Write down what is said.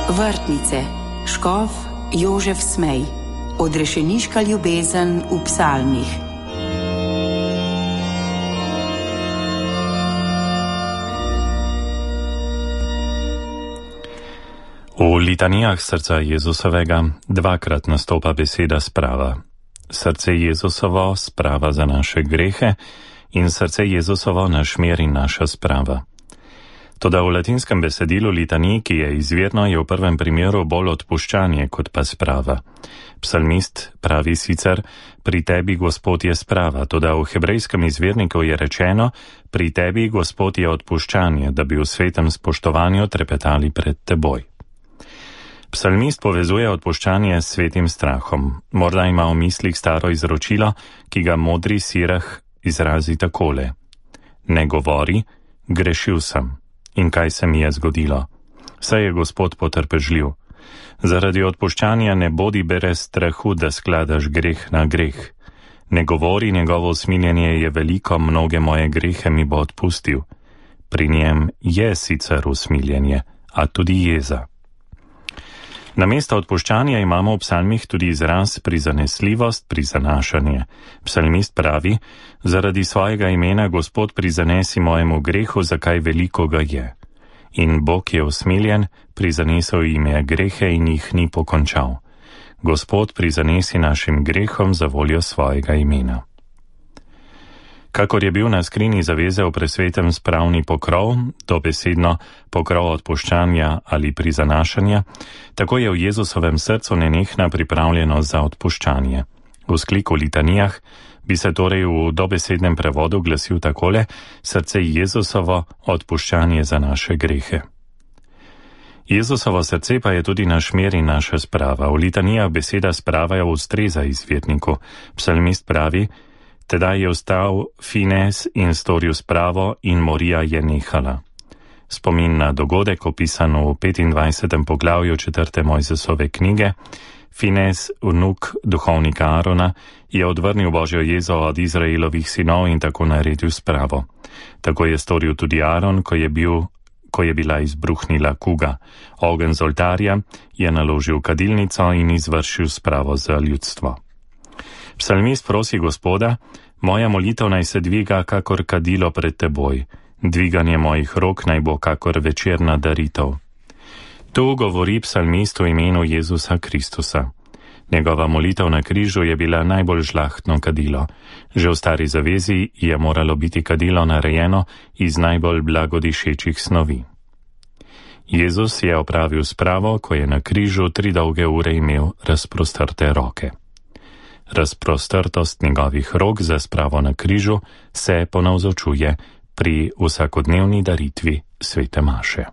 Vrtnice, škof Jožef Smej, odrešeniška ljubezen v psalmih. V litanijah srca Jezusovega dvakrat nastopa beseda sprava. Srce Jezusovo sprava za naše grehe in srce Jezusovo naš mir in naša sprava. Toda v latinskem besedilu litanij, ki je izvirno, je v prvem primeru bolj odpuščanje kot pa sprava. Psalmist pravi sicer, pri tebi Gospod je sprava, toda v hebrejskem izvirniku je rečeno, pri tebi Gospod je odpuščanje, da bi v svetem spoštovanju trepetali pred teboj. Psalmist povezuje odpuščanje s svetim strahom. Morda ima v mislih staro izročilo, ki ga modri Sirah izrazi takole. Ne govori, grešil sem. In kaj se mi je zgodilo? Saj je Gospod potrpežljiv. Zaradi odpuščanja ne bodi brez strahu, da skladaš greh na greh. Ne govori, njegovo usmiljenje je veliko, mnoge moje grehe mi bo odpustil. Pri njem je sicer usmiljenje, a tudi jeza. Namesto odpuščanja imamo v psalmih tudi izraz prizanesljivost, prizanašanje. Psalmist pravi, zaradi svojega imena Gospod prizanesi mojemu grehu, zakaj veliko ga je. In Bog je usmiljen, prizanesel jim je grehe in jih ni pokončal. Gospod prizanesi našim grehom za voljo svojega imena. Kakor je bil na skrini zaveze v presvetem spravni pokrov, dobesedno pokrov odpuščanja ali prizanašanja, tako je v Jezusovem srcu nenehna pripravljenost za odpuščanje. V skliku litanijah bi se torej v dobesednem prevodu glasil takole: srce Jezusovo, odpuščanje za naše grehe. Jezusovo srce pa je tudi naš mir in naša sprava. V litanijah beseda sprava je ustreza izvirniku. Psalmist pravi, tedaj je vstal Fines in storil spravo in morija je nehala. Spomin na dogodek, opisan v 25. poglavju 4. Mojzesove knjige, Fines, vnuk duhovnika Arona, je odvrnil Božjo jezo od Izraelovih sinov in tako naredil spravo. Tako je storil tudi Aron, ko je bila izbruhnila kuga. Ogenj z oltarja je naložil kadilnico in izvršil spravo za ljudstvo. Psalmist prosi Gospoda, moja molitev naj se dviga kakor kadilo pred teboj, dviganje mojih rok naj bo kakor večerna daritev. Tu govori psalmist v imenu Jezusa Kristusa. Njegova molitev na križu je bila najbolj žlahtno kadilo. Že v stari zavezi je moralo biti kadilo narejeno iz najbolj blagodišečih snovi. Jezus je opravil spravo, ko je na križu 3 dolge ure imel razprostrte roke. Razprostrtost njegovih rok za spravo na križu se ponavzočuje pri vsakodnevni daritvi svete maše.